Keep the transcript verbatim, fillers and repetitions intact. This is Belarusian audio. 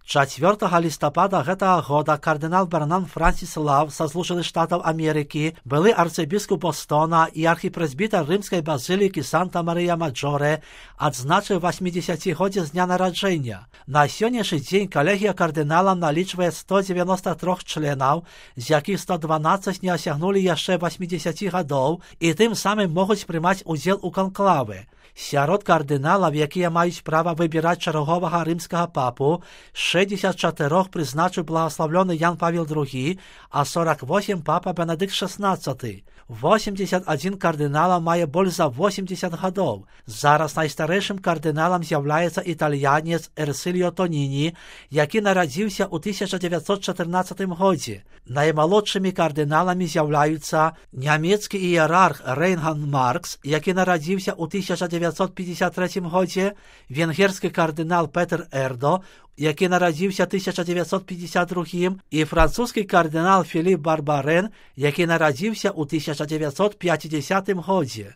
чацвёртага лістапада гэтага года кардынал Бернан Франсіс Лав са Злучаных Штатаў Амерыкі, былы арцыбіскуп Бостона і архіпрэзбітар рымскай базылікі Санта-Марыя-Маджоре, адзначыў васьмідзесяцігоддзе з дня нараджэння. На сённяшні дзень калегія кардынала налічвае сто дзевяноста трох членаў, з якіх сто дванаццаць не асягнулі яшчэ васьмідзесяці гадоў і тым самым могуць прымаць удзел у канклавы. Сярод кардыналаў, якія маюць права выбіраць чарговага рымскага папу, шэсцьдзесят чатырох прызначыў благаслаўлёны Ян Павел другі, а сорок восемь папа Бенедыкт шаснаццаты. восемьдесят адзін кардынала мае больш за восемьдесят гадоў. Зараз найстарэйшым кардыналам з'яўляецца італьянец Эрсыліо Тоніні, які нарадзіўся ў тысяча дзевяцьсот чатырнаццатым годзе. Наймалодшымі кардыналамі з'яўляюцца нямецкі іерарх Рейнхард Маркс, які нарадзіўся ў тысяча дзевяцьсот пятьдесят трэцім годзе, венгерскі кардынал Петер Эрдо, які нарадзіўся тысяча дзевяцьсот пятьдесят другім, і французскі кардынал Філіп Барбарен, які нарадзіўся ў тысяча дзевяцьсот пяцідзясятым годзе.